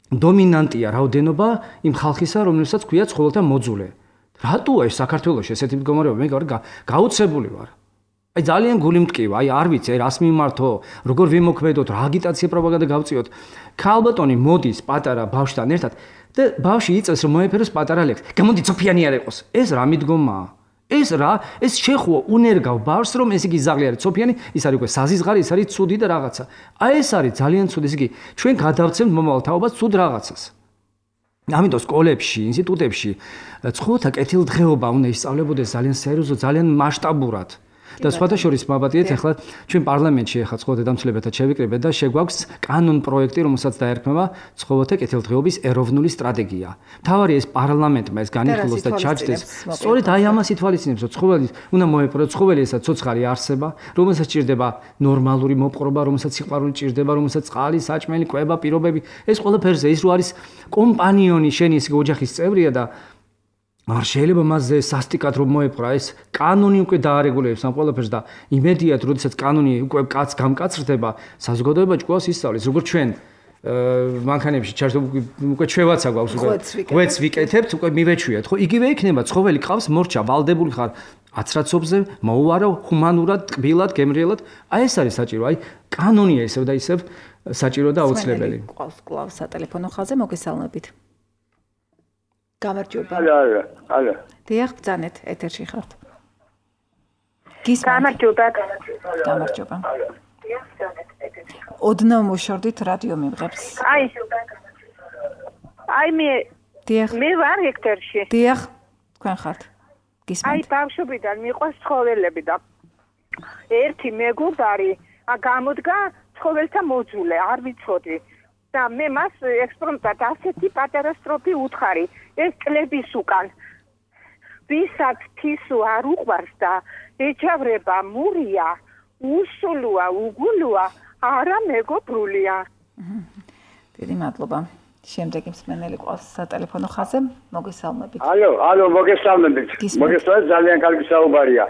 A: დომინანტია რაოდენობა იმ ხალხისა, რომელსაც ქვია ცხოველთა მოძულე. რატოა ეს საქართველოში ესეთი მდგომარეობა? მე გაუცებული ვარ. აი ძალიან გული მტკივა, აი არ ვიცი, აი რას მიმართო, როგორ ვიმოქმედოთ, რა აგიტაცია პროპაგანდა გავწიოთ. ქალბატონი მოდის პატარა ბავშვთან ერთად და ბავშვი იწევს რომ მოეფეროს პატარა ლექს. გამოდი ცოფიანი არ იყოს. ეს რა მიდგომაა? ეს რა, ეს შეხუა უნერგავ ბავშვს რომ ეს იგი ზაღლი არის ცოფიანი, ის არის უკვე საზიზღარი, ის არის ცუდი და რაღაცა. აი ეს არის ძალიან ცუდი, ეს იგი ჩვენ გადავცემთ მომავალ თაობას ცუდ რაღაცას. ამიტომ სკოლებში, ინსტიტუტებში ცხოველთა კეთილდღეობა უნდა ისწავლებოდეს ძალიან სერიოზულად, ძალიან მასშტაბურად. და სხვადასხვა მაბადიეთ ახლა ჩვენ პარლამენტში ახლა ცხოველთა დამცველებთან შევიკრიბეთ და შეგვაქვს კანონ პროექტი, რომელსაც დაერქმევა ცხოველთა კეთილდღეობის ეროვნული სტრატეგია. თავარი ეს პარლამენტმა ეს განიხილოს და ჩაჯდეს. სწორედ აი ამას ითვალისწინებს, რომ ცხოველი უნდა მოეპყროს, ცხოველი ესა ცოცხალი არსება, რომელსაც ჭირდება ნორმალური მოპყრობა, რომელსაც სიყვარული ჭირდება, რომელსაც წყალი, საჭმელი, კვება, პირობები, ეს ყველაფერზე ის რო არის კომპანიონი, შენი ეს ოჯახის წევრია და არ შეიძლება მასზე სასტიკად რომ მოეპყრა ეს კანონი უკვე დაარეგულირებს ამ ყველაფერს და იმედიათ როდესაც კანონი უკვე კაც გამკაცრდება საზოგადოება ჭკუას ისწავლის როგორც ჩვენ მანქანებში ჩართო უკვე ჩვევაცა გვაქვს უკვე ღვეც ვიკეთებთ უკვე მივეჩვიათ ხო იგივე იქნება ცხოველი ყავს მორჩა ვალდებული ხარ აცრაცობზე მოუარო ჰუმანურად ტკბილად გემრიელად აი ეს არის საჭირო აი კანონია ისევ და ისევ საჭირო და აუცილებელი
B: ყავს კლავს სატელეფონო ხაზზე მოგესალმებით გამარჯობა.
F: ალო, ალო, ალო.
B: დიახ, ბრძანეთ, ეთერში ხართ.
C: გამარჯობა,
B: გამარჯობა. დიახ, ბრძანეთ, ეთერში. ოდნავ მოშორდით რადიო მიმღებს.
C: აი. აი მე
B: დიახ.
C: მე ვარ ეთერში.
B: დიახ, თქვენ ხართ. გისმენთ.
C: აი, ბავშვობიდან მიყვარს ცხოველები და ერთი მეგობარი გამოდგა ცხოველთა მოძულე, არ ვიცოდი. და მე მას ექსპრომტად ასეთი პატარა სტროფი უთხარი ეს წლების უკან ვისაც თისო არ უყვარს და ეჩავრება მურია უსულოა უგულოა არა მეგობრულია.
B: დიდი მადლობა. შემდეგი მსმენელი ყავს სატელეფონო ხაზზე. მოგესალმებით.
F: ალო, ალო, მოგესალმებით. მოგესალმებით, ძალიან კარგი საუბარია.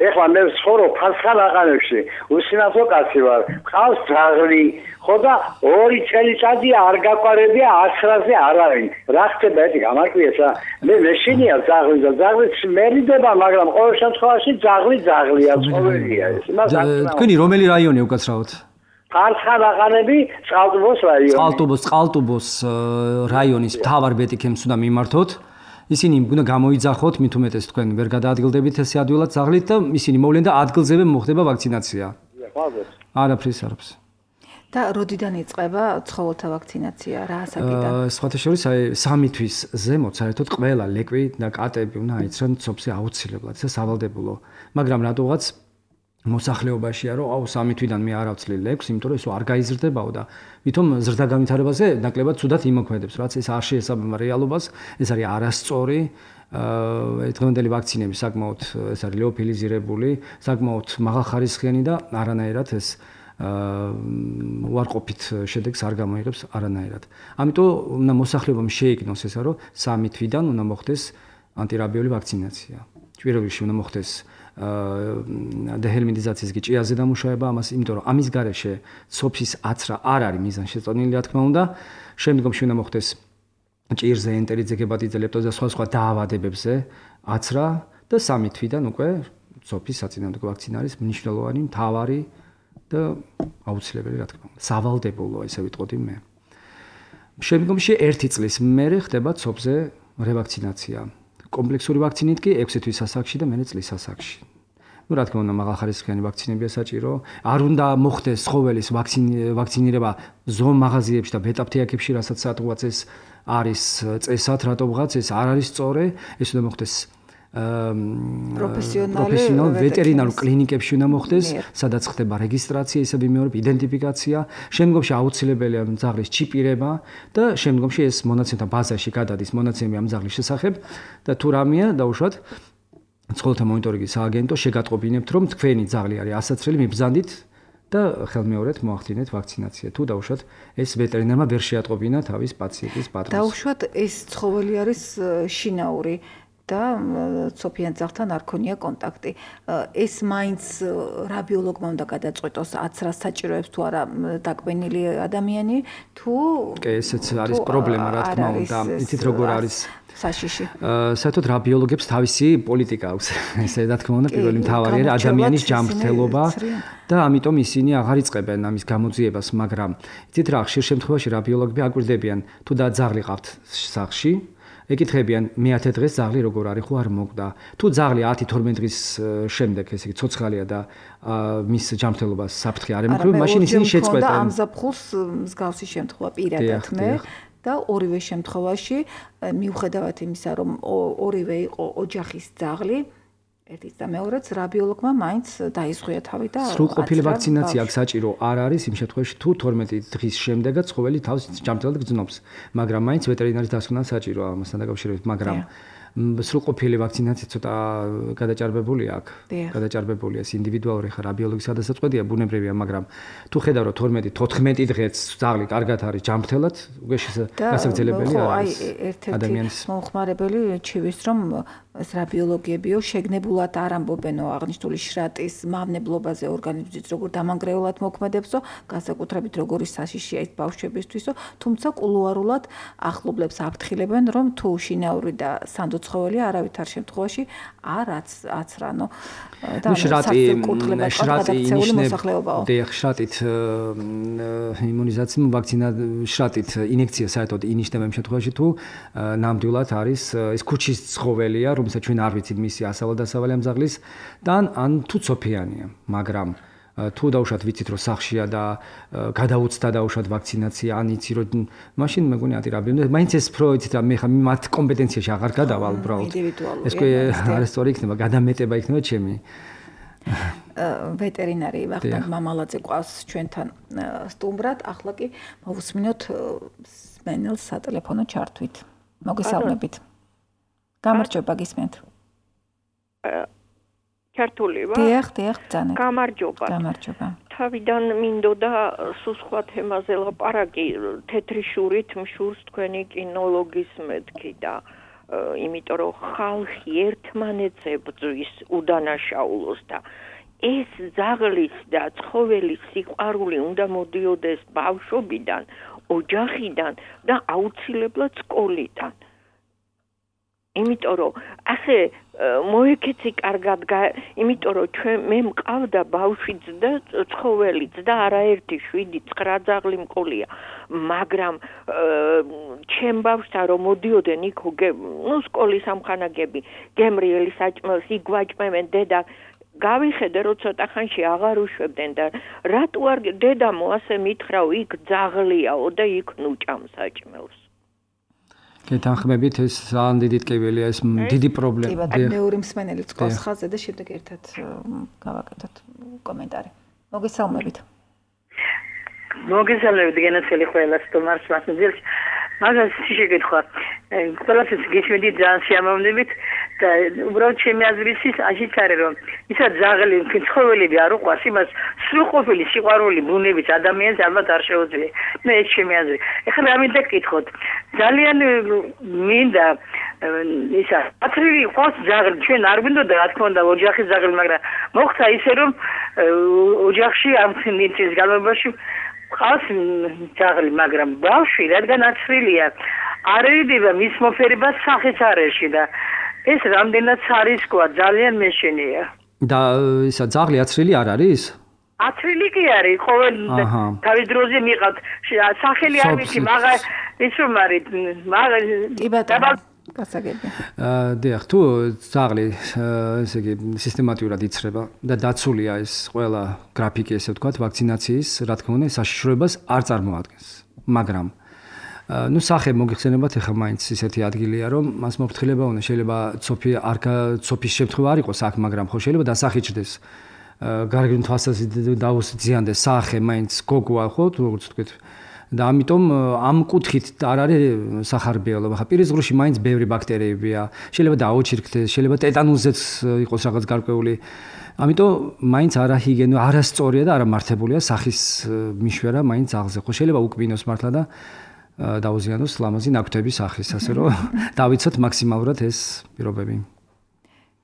F: ეხლა მე ვცხოვრობ ფასხალაყანებში, უსინათლო კაცი ვარ. ყავს ძაღლი, ხო და ორი წელიწადია არ გაყარებია ათრაზე არ არის. რა ხდება ეს გამარკვიესა? მე მეშინია ძაღლი და ძაღლი მერიდება, მაგრამ ყოველ შემთხვევაში ძაღლი ძაღლია, ცხოველია ეს. იმას არ
A: თქვენი რომელი რაიონი უკაცრავად?
F: ფასხალაყანები, წყალტუბოს რაიონი.
A: წყალტუბოს, წყალტუბოს რაიონის მთავარ ბეტიქემს უნდა მიმართოთ. ისინი უნდა გამოიძახოთ, მით უმეტეს თქვენ ვერ გადაადგილდებით ეს ადვილად ძაღლით და ისინი მოვლენ და ადგილზევე მოხდება ვაქცინაცია. არაფრის არაფერს.
B: და როდიდან იწყება ცხოველთა ვაქცინაცია? რა ასაკიდან?
A: სხვათა შორის აი სამი თვის ზემოთ საერთოდ ყველა ლეკვი და კატები უნდა აიცრან ცოფზე აუცილებლად, ეს სავალდებულო. მაგრამ რატოღაც მოსახლეობაშია რომ აუ სამი თვიდან მე არ ავცლი ლეკვს, იმიტომ რომ ეს არ გაიზრდებაო და ვითომ ზრდა განვითარებაზე ნაკლებად ცუდად იმოქმედებს, რაც ეს არ შეესაბამება რეალობას, ეს არის არასწორი. აა დღევანდელი ვაქცინები საკმაოდ ეს არის ლეოფილიზირებული, საკმაოდ მაღალხარისხიანი და არანაირად ეს აა უარყოფით შედეგს არ გამოიღებს არანაირად. ამიტომ უნდა მოსახლეობამ შეიგნოს ესა რომ სამი თვიდან უნდა მოხდეს ანტირაბიული ვაქცინაცია. პირველ რიგში უნდა მოხდეს დეჰელმინტიზაციის გიჭიაზე დამუშავება ამას, იმიტომ რომ ამის გარეშე ცოფის აცრა არ არის მიზანშეწონილი, რა თქმა უნდა. შემდგომში უნდა მოხდეს ჭირზე, ენტერიტზე, ჰეპატიტზე, ლეპტოზე და სხვა სხვა დაავადებებზე აცრა და სამი თვიდან უკვე ცოფის საწინააღმდეგო ვაქცინა არის მნიშვნელოვანი, მთავარი და აუცილებელი, რა თქმა უნდა. სავალდებულო, ესე ვიტყოდი მე. შემდგომში ერთი წლის მერე ხდება ცოფზე რევაქცინაცია. კომპლექსური ვაქცინით კი ექვსი თვის ასაკში და მერე წლის ასაკში. ну რა თქმა უნდა მაღალხარისხიანი ვაქცინებია საჭირო. არ უნდა მოხდეს ცხოველის ვაქცინირება ზომ მაღაზიებში და ბეტაპთეაქებში, რასაც სადღაც ეს არის წესად, რატომღაც ეს არ არის სწორი. ეს უნდა მოხდეს
B: პროფესიონალ
A: ვეტერინარ კლინიკებში უნდა მოხდეს, სადაც ხდება რეგისტრაცია, ისე ვიმეორებ იდენტიფიკაცია, შემდგომში აუცილებელია ძაღლის ჩიპირება და შემდგომში ეს მონაცემთა ბაზაში გადადის მონაცემები ამ ძაღლის შესახებ და თუ რამეა დაუშვათ ცხოველთა მონიტორინგის სააგენტო შეგატყობინებთ, რომ თქვენი ძაღლი არის ასაცრელი, მიბრძანდით და ხელმეორედ მოახდინეთ ვაქცინაცია. თუ დაუშვათ ეს ვეტერინარმა ვერ შეატყობინა თავის პაციენტის პატრონს.
B: დაუშვათ ეს ცხოველი არის შინაური და ცოფიან ძაღლთან არ ქონია კონტაქტი. ეს მაინც რაბიოლოგმა უნდა გადაწყვეტოს აცრას საჭიროებს თუ არა დაკბენილი ადამიანი, თუ
A: კი, ესეც არის პრობლემა, რა თქმა უნდა. იცით როგორ არის
B: საშიში.
A: საერთოდ რაბიოლოგებს თავისი პოლიტიკა აქვს. ესე რა თქმა უნდა, პირველი მთავარი არის ადამიანის ჯანმრთელობა და ამიტომ ისინი აღარ იწყებენ ამის გამოძიებას, მაგრამ იცით რა, ხშირ შემთხვევაში რაბიოლოგები აკვირდებიან, თუ და ძაღლი ყავთ სახლში, ეკითხებიან მეათე დღეს ძაღლი როგორ არის, ხო არ მოგდა. თუ ძაღლი ათი თორმეტი დღის შემდეგ, ესე იგი ცოცხალია და მის ჯანმრთელობას საფრთხე არ ემუქრება, მაშინ ისინი შეწყვეტენ.
B: და ამ ზაფხულს მსგავსი შემთხვევა პირადად მე და ორივე შემთხვევაში მიუხედავად იმისა, რომ ორივე იყო ოჯახის ძაღლი, ერთიც და მეორეც რაბიოლოგმა მაინც დაიზღვია თავი და
A: სრულყოფილი ვაქცინაცია აქ საჭირო არ არის იმ შემთხვევაში, თუ თორმეტი დღის შემდეგაც ცხოველი თავს ჯანმრთელად გრძნობს, მაგრამ მაინც ვეტერინარის დასკვნა საჭიროა ამასთან დაკავშირებით, მაგრამ სრულყოფილი ვაქცინაცია ცოტა გადაჭარბებულია აქ. გადაჭარბებულია ეს ინდივიდუალური ხა რაბიოლოგის გადასაწყვეტია ბუნებრივია, მაგრამ თუ ხედავ რომ თორმეტი თოთხმეტი დღეც ძაღლი კარგად არის ჯანმრთელად, უკვე გასაგრძელებელია
B: ადამიანის მომხმარებელი ჩივის რომ ეს რაბიოლოგიებიო შეგნებულად არ ამბობენო აღნიშნული შრატის მავნებლობაზე ორგანიზმის როგორ დამანგრეულად მოქმედებსო, განსაკუთრებით როგორი საშიშია ეს ბავშვებისთვისო, თუმცა კულუარულად ახლობლებს აფრთხილებენ რომ თუ შინაური და სანდო ცხოველი არავითარ შემთხვევაში არ აცრანო და
A: შრატი შრატი
B: მოსახლეობაო.
A: შრატით იმუნიზაცია ვაქცინა შრატით ინექცია საერთოდ ინიშნება იმ შემთხვევაში თუ ნამდვილად არის ეს ქუჩის ცხოველია, რომელსაც ჩვენ არ ვიცით მისი ასავალ-დასავალი ამ ძაღლის და ან თუ ცოფიანია, მაგრამ თუ დაუშვათ ვიცით რომ სახლშია და გადაუცდა დაუშვათ ვაქცინაცია, ან იცი რომ მაშინ მეგონი ანტირაბიოლოგია, მაინც ეს პროიცით რა მე ხა მათ კომპეტენციაში აღარ გადავალ უბრალოდ. ეს კი არასწორი იქნება, გადამეტება იქნება ჩემი.
B: ვეტერინარი ვახტანგ მამალაძე ყავს ჩვენთან სტუმრად, ახლა კი მოვუსმინოთ სმენელს სატელეფონო ჩართვით. მოგესალმებით. გამარჯობა გისმენთ.
C: ქართული ვარ?
B: დიახ, დიახ, ბრძანეთ.
C: გამარჯობა.
B: გამარჯობა.
G: თავიდან მინდოდა სულ სხვა თემაზე ლაპარაკი, თეთრი შურით მშურს თქვენი კინოლოგის მეთქი და იმიტომ რომ ხალხი ერთმანეთს ებრძვის უდანაშაულოს და ეს ძაღლის და ცხოველის სიყვარული უნდა მოდიოდეს ბავშვობიდან, ოჯახიდან და აუცილებლად სკოლიდან. იმიტომ რომ ასე მოეკეცი კარგად, იმიტომ რომ ჩვენ მე მყავდა ბავშვიც და ცხოველიც და არაერთი შვიდი ცხრა ძაღლი მყოლია, მაგრამ ჩემ ბავშვთან რომ მოდიოდნენ იქ ნუ სკოლის ამხანაგები, გემრიელი საჭმელს იგვაჭმევენ დედა გავიხედე რომ ცოტა ხანში აღარ უშვებდნენ და რატო არ დედამო ასე მითხრა იქ ძაღლიაო და იქ ნუჭამს საჭმელს.
A: გეთანხმებით ეს ძალიან დიდი ტკივილია ეს დიდი პრობლემა.
B: კი, მეორე მსმენელი წყალს ხაზზე და შემდეგ ერთად გავაკეთოთ კომენტარი. მოგესალმებით.
H: მოგესალმებით გენაცელი ყველას თომარს მასმძილს. მაგას შეგეთხვა. ყველას გიჩვენდი ძალიან სიამოვნებით და უბრალოდ ჩემი აზრით ის აჩიც არის რომ ისა ძაღლი ცხოველები არ უყვარს იმას სრულყოფილი სიყვარული ბუნებით ადამიანს ალბათ არ შეუძლია. მე ეს ჩემი აზრი. ეხლა რა მინდა გკითხოთ. ძალიან მინდა ისა ათრილი ყავს ძაღლი ჩვენ არ გვინდოდა რა თქმა უნდა ოჯახის ძაღლი მაგრამ მოხდა ისე რომ ოჯახში ამ წლის განმავლობაში ყავს ძაღლი მაგრამ ბავშვი რადგან ათრილია არ ერიდება მის მოფერებას სახეც არ ეში და ეს რამდენად სარისკოა ძალიან მეშენია.
A: და ისა ძაღლი ათრილი არ არის?
H: ათრილი კი არის, ყოველ თავის დროზე მიყავთ. სახელი არ ვიცი, მაგრამ ის რომ არის, მაგრამ
B: კი ბატონო, გასაგები.
A: დიახ, თუ ძაღლი ესე იგი სისტემატურად იცრება და დაცულია ეს ყველა გრაფიკი ესე ვთქვათ, ვაქცინაციის, რა თქმა უნდა, საშიშროებას არ წარმოადგენს. მაგრამ ну სახე მოგიხსენებათ ახლა მაინც ისეთი ადგილია რომ მას მოფრთხილება უნდა შეიძლება ცოფი არ ცოფის შემთხვევა არ იყოს აქ მაგრამ ხო შეიძლება დასახიჩდეს გარეგნულ თვალსაზრისით დაუსძიანდეს სახე მაინც გოგოა ხო როგორც ვთქვით და ამიტომ ამ კუთხით არ არის სახარბიელობა ხა პირის ზღვრში მაინც ბევრი ბაქტერიებია შეიძლება დააოჩირქდეს შეიძლება ტეტანუსზეც იყოს რაღაც გარკვეული ამიტომ მაინც არაჰიგიენო არასწორია და არამართებულია სახის მიშვერა მაინც აღზე ხო შეიძლება უკბინოს მართლა და დაუზიანოს ლამაზი ნაკვთების სახის, ასე რომ დავიცოთ მაქსიმალურად ეს პირობები.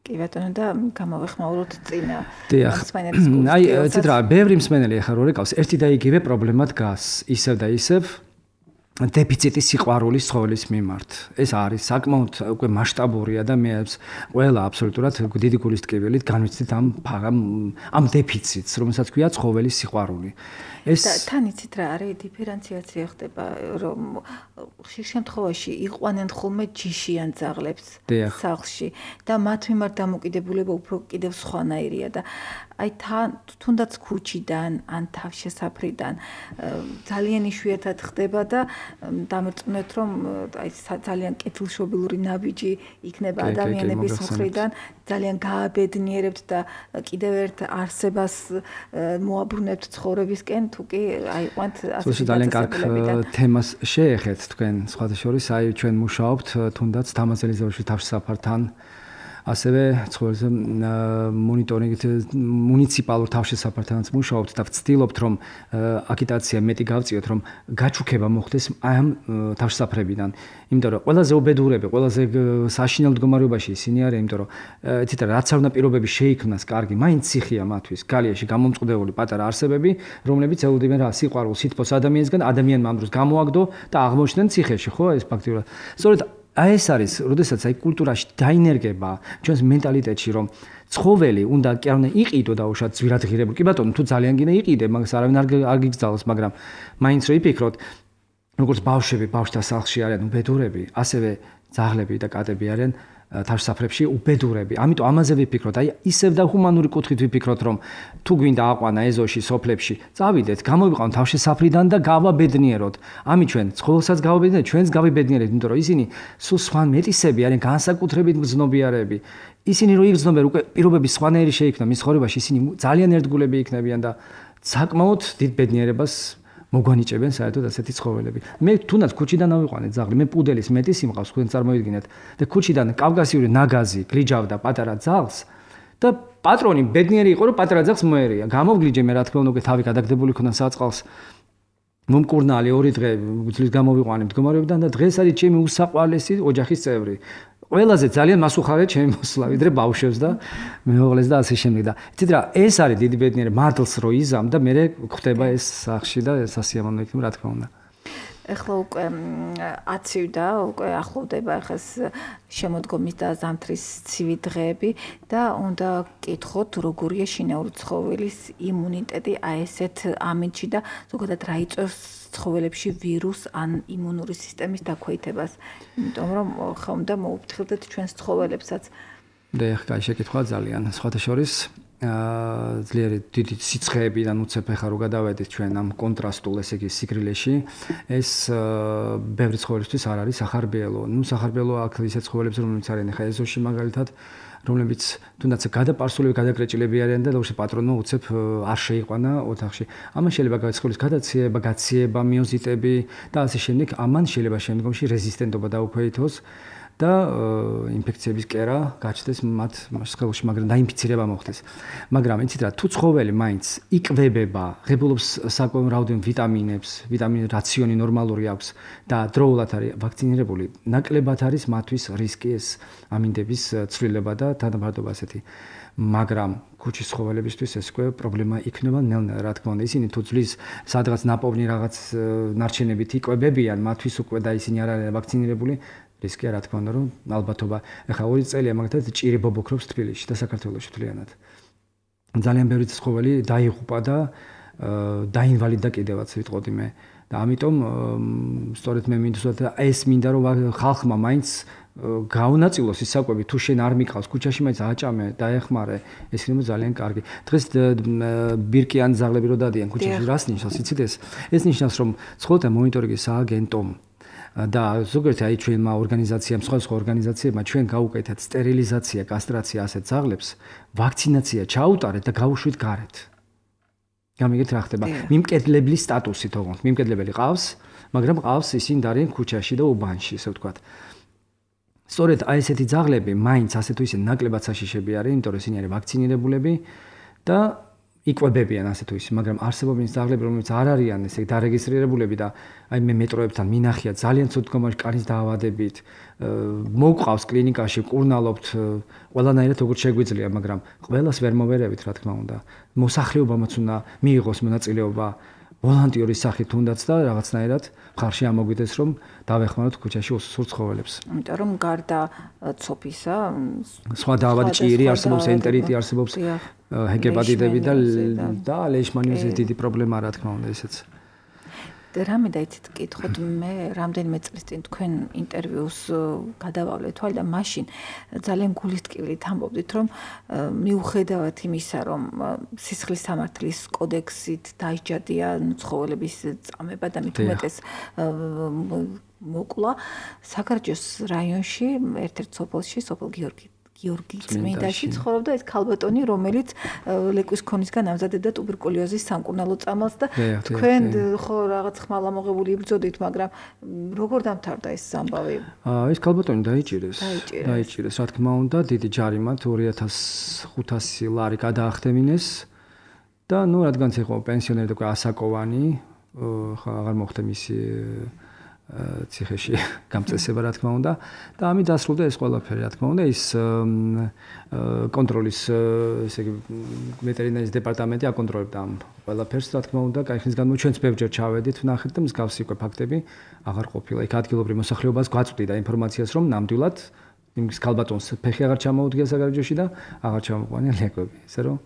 B: კი ბატონო და გამოვეხმაუროთ წინა
A: მსმენელის კურსს. აი, ცით რა, ბევრი მსმენელი ახლა რო რეკავს, ერთი და იგივე პრობლემა დგას, ისევ და ისევ დეფიციტი სიყვარულის ცხოველის მიმართ. ეს არის საკმაოდ უკვე მასშტაბურია და მე ყველა აბსოლუტურად დიდი გულის ტკივილით განვიცდით ამ ამ დეფიციტს, რომელსაც ქვია ცხოველის სიყვარული.
B: ეს თან იცით რა არის დიფერენციაცია ხდება რომ ხშირ შემთხვევაში იყვანენ ხოლმე ჯიშიან ძაღლებს სახლში და მათ მიმართ დამოკიდებულება უფრო კიდევ სხვანაირია და აი თან თუნდაც ქუჩიდან ან თავშესაფრიდან ძალიან იშვიათად ხდება და დამერწმუნეთ რომ აი ძალიან კეთილშობილური ნაბიჯი იქნება ადამიანების მხრიდან ძალიან გააბედნიერებთ და კიდევ ერთ არსებას მოაბრუნებთ ცხოვრებისკენ თუ კი აიყვანთ
A: ასე ძალიან კარგ თემას შეეხეთ თქვენ სხვათა შორის აი ჩვენ მუშაობთ თუნდაც თამაზელის ზოლში თავშესაფართან ასევე ცხოველზე მონიტორინგით მუნიციპალურ თავშესაფართანაც მუშაობთ და ვცდილობთ რომ აკიტაცია მეტი გავწიოთ რომ გაჩუქება მოხდეს ამ თავშესაფრებიდან იმიტომ რომ ყველაზე უბედურები ყველაზე საშინელ მდგომარეობაში ისინი არიან იმიტომ რომ იცით რაც არ უნდა პირობები შეიქმნას კარგი მაინც ციხია მათთვის გალიაში გამომწყდეული პატარა არსებები რომლებიც ელოდებიან რა სიყვარულს სითბოს ადამიანისგან ადამიანმა ამ დროს გამოაგდო და აღმოჩნდნენ ციხეში ხო ეს ფაქტიურად სწორედ აი ეს არის, როდესაც აი კულტურაში დაინერგება ჩვენს მენტალიტეტში, რომ ცხოველი უნდა კი არ უნდა იყიდო და უშად ზვირადღირებული. კი ბატონო, თუ ძალიან გინდა იყიდე, მაგას არავინ არ არ გიგზავნოს, მაგრამ მაინც რო იფიქროთ, როგორც ბავშვები ბავშვთა სახლში არიან უბედურები, ასევე ძაღლები და კატები არიან თავშესაფრებში უბედურები. ამიტომ ამაზე ვიფიქროთ, აი ისევ და ჰუმანური კუთხით ვიფიქროთ, რომ თუ გვინდა აყვანა ეზოში, სოფლებში, წავიდეთ, გამოვიყავთ თავშესაფრიდან და გავაბედნიეროთ. ამი ჩვენ ცხოველსაც გავაბედნიერეთ, ჩვენს გავიბედნიერეთ, იმიტომ რომ ისინი სულ სხვა მეტისები არიან, განსაკუთრებით მგრძნობიარები. ისინი რო იგრძნობენ, უკვე პირობები სხვანაირი შეიქმნა მის ცხოვრებაში, ისინი ძალიან ერთგულები იქნებიან და საკმაოდ დიდ ბედნიერებას მოგვანიჭებენ საერთოდ ასეთი ცხოველები. მე თუნდაც ქუჩიდან ავიყვანე ძაღლი, მე პუდელის მეტი სიმყავს, თქვენ წარმოიდგინეთ და ქუჩიდან კავკასიური ნაგაზი გლიჯავდა პატარა ძაღლს, და პატრონი ბედნიერი იყო, რომ პატარა ძაღლს მოერია. გამოვგლიჯე მე რა თქმა უნდა, უკვე თავი გადაგდებული ქონა საწყალს. მომკურნალი ორი დღე გძლის გამოვიყვანე მდგომარეობიდან და დღეს არის ჩემი უსაყვარლესი ოჯახის წევრი. ყველაზე ძალიან მასუხარია ჩემი მოსვლა, ვიდრე ბავშვებს და მეუღლეს და ასე შემდეგ და იცით რა, ეს არის დიდი ბედნიერი მადლს რო იზამ და მე ხდება ეს სახში და სასიამოვნო იქნება რა თქმა უნდა.
B: ეხლა უკვე აცივდა, უკვე ახლოვდება ახას შემოდგომის და ზამთრის ცივი დღეები და უნდა გკითხოთ, როგორია შინაური ცხოველის იმუნიტეტი აი ესეთ ამინდში და ზოგადად რა იწვევს ცხოველებში ვირუს ან იმუნური სისტემის დაქვეითებას. იმიტომ რომ ხა უნდა მოუფრთხილდეთ ჩვენს ცხოველებსაც.
A: და ეხლა კაი შეკითხვა ძალიან. სხვათა შორის აა ძლიერი დიდი სიცხეებიდან უცებ ეხა რო გადავედით ჩვენ ამ კონტრასტულ ესე იგი სიგრილეში ეს ბევრი ცხოველისთვის არ არის სახარბიელო. ნუ სახარბიელო აქ ისეთ ცხოველებს რომლებიც არიან ეხა ეზოში მაგალითად რომლებიც თუნდაც გადაპარსულები გადაკრეჭილები არიან და როგორც პატრონმა უცებ არ შეიყვანა ოთახში. ამან შეიძლება გაცხოლის გადაციება, გაციება, მიოზიტები და ასე შემდეგ. ამან შეიძლება შემდგომში რეზისტენტობა დაუქვეითოს და ინფექციების კერა გაჩნდეს მათ სხეულში, მაგრამ დაინფიცირება მოხდეს. მაგრამ იცით რა, თუ ცხოველი მაინც იკვებება, ღებულობს საკმაოდ რაოდენობით ვიტამინებს, ვიტამინ რაციონი ნორმალური აქვს და დროულად არის ვაქცინირებული, ნაკლებად არის მათთვის რისკი ეს ამინდების ცვლილება და თანაბარდობა ასეთი. მაგრამ ქუჩის ცხოველებისთვის ეს უკვე პრობლემა იქნება ნელ-ნელა, რა თქმა უნდა. ისინი თუ ძვლის სადღაც ნაპოვნი რაღაც ნარჩენებით იკვებებიან, მათთვის უკვე და ისინი არ არიან ვაქცინირებული. რისკია რა თქმა უნდა რომ ალბათობა ეხა ორი წელია მაგათაც ჭირი ბობოქრობს თბილისში და საქართველოში თლიანად. ძალიან ბევრი ცხოველი დაიღუპა და დაინვალიდა კიდევაც ვიტყოდი მე და ამიტომ სწორედ მე მინდოდა ეს მინდა რომ ხალხმა მაინც გაუნაწილოს ის საკვები თუ შენ არ მიყავს ქუჩაში მაინც აჭამე დაეხმარე ეს იქნება ძალიან კარგი. დღეს ბირკიან ზაღლები რო დადიან ქუჩაში რას ნიშნავს იცით ეს? ეს ნიშნავს რომ ცხოველთა მონიტორინგის სააგენტომ და ზოგადად აი ჩვენმა ორგანიზაციამ, სხვა სხვა ორგანიზაციებმა ჩვენ გავუკეთეთ სტერილიზაცია, კასტრაცია ასეთ ზაღლებს, ვაქცინაცია ჩაუტარეთ და გავუშვით გარეთ. გამიგეთ რა ხდება? მიმკედლების სტატუსი თողოთ. მიმკედლებელი ყავს, მაგრამ ყავს ისინი დარიან ქუჩაში და უბანში, ესე ვთქვათ. სწორედ აი ესეთი ზაღლები მაინც ასე თუ ისე ნაკლებად საშიშები არიან, იმიტომ რომ ისინი არიან ვაქცინირებულები და იკვებებიან ასე თუ ისე, მაგრამ არსებობენ ზაღლები, რომლებიც არ არიან ესე დარეგისტრირებულები და აი მე მეტროებთან მინახია ძალიან ცუდ მდგომარეობაში კარის დაავადებით, მოუყავს კლინიკაში, კურნალობთ, ყველანაირად როგორც შეგვიძლია, მაგრამ ყველას ვერ მოვერევით, რა თქმა უნდა. მოსახლეობამაც უნდა მიიღოს მონაწილეობა ვოლონტიორის სახით თუნდაც და რაღაცნაირად ხარში ამოგვიდეს რომ დავეხმაროთ ქუჩაში უსურთ ცხოველებს.
B: იმიტომ რომ გარდა ცოფისა,
A: სხვა დაავადი ჭირი არსებობს, ენტერიტი არსებობს, ჰეპატიტები და და ლეიშმანიოზის დიდი პრობლემაა რა თქმა უნდა ესეც.
B: რამე დაიცით კითხოთ მე რამდენიმე წლის წინ თქვენ ინტერვიუს გადავავლე თვალ და მაშინ ძალიან გულისტკივლით ამბობდით რომ მიუხედავად იმისა რომ სისხლის სამართლის კოდექსით დაიჯადია ცხოველების წამება და მით უმეტეს მოკლა საქართველოს რაიონში ერთ-ერთ სოფელში სოფელ გიორგი გიორგი წმინდაში ცხოვრობდა ეს ქალბატონი, რომელიც ლეკვის ქონისგან ამზადებდა ტუბერკულოზის სამკურნალო წამალს და თქვენ ხო რაღაც ხმალამოღებული იბრძოდით, მაგრამ როგორ დამთავრდა ეს ამბავი?
A: ეს ქალბატონი დაიჭირეს. დაიჭირეს, რა თქმა უნდა, დიდი ჯარიმად ორი ათას ხუთასი ლარი გადაახდემინეს და ნუ რადგანაც იყო პენსიონერი და ასაკოვანი, ხა აღარ მოხდა მისი ციხეში გამწესება რა თქმა უნდა და ამით დასრულდა ეს ყველაფერი რა თქმა უნდა ის კონტროლის ესე იგი ვეტერინარის დეპარტამენტი აკონტროლებდა ამ ყველაფერს რა თქმა უნდა კაი ხნის განმავლობაში ჩვენც ბევრჯერ ჩავედით ვნახეთ და მსგავსი უკვე ფაქტები აღარ ყოფილა იქ ადგილობრივ მოსახლეობას გვაწვდიდა ინფორმაციას რომ ნამდვილად იმის ქალბატონს ფეხი აღარ ჩამოუდგია საგარეჯოში და აღარ ჩამოყვანია ლეკვები ესე რომ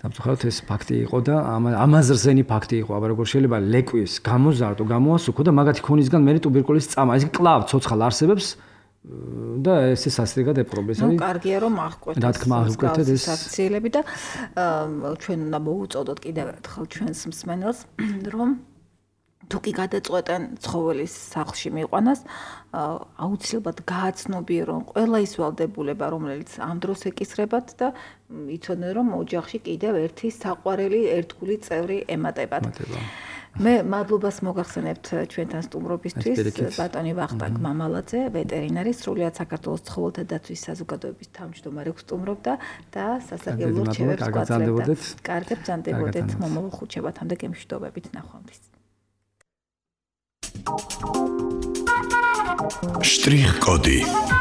A: სამწუხაროდ ეს ფაქტი იყო და ამაზრზენი ფაქტი იყო, აბა როგორ შეიძლება ლეკვის გამოზარდო, გამოასუქო და მაგათი ქონისგან მე ტუბერკულოზის წამა, ეს კლავ ცოცხალ არსებებს და ეს სასწრიგად ეპრობეს.
B: ნუ კარგია რომ აღკვეთეს.
A: რა თქმა უნდა, აღკვეთეთ ეს
B: აქციელები და ჩვენ უნდა მოუწოდოთ კიდევ ერთხელ ჩვენს მსმენელს, რომ თუ კი გადაწყვეტენ ცხოველის სახლში მიყვანას, აუცილებლად გააცნობიერონ ყველა ის ვალდებულება, რომელიც ამ დროს ეკისრებათ და იცოდნენ, რომ ოჯახში კიდევ ერთი საყვარელი ერთგული წევრი ემატებათ. მე მადლობას მოგახსენებთ ჩვენთან სტუმრობისთვის ბატონი ვახტანგ მამალაძე, ვეტერინარი, სრულიად საქართველოს ცხოველთა დაცვის საზოგადოების თავმჯდომარე გსტუმრობდა და სასარგებლო რჩევებს გვაძლევდა. კარგად ბრძანდებოდეთ მომავალ ხუთშაბათამდე გემშვიდობებით ნახვამდის.
I: Штрих-коды.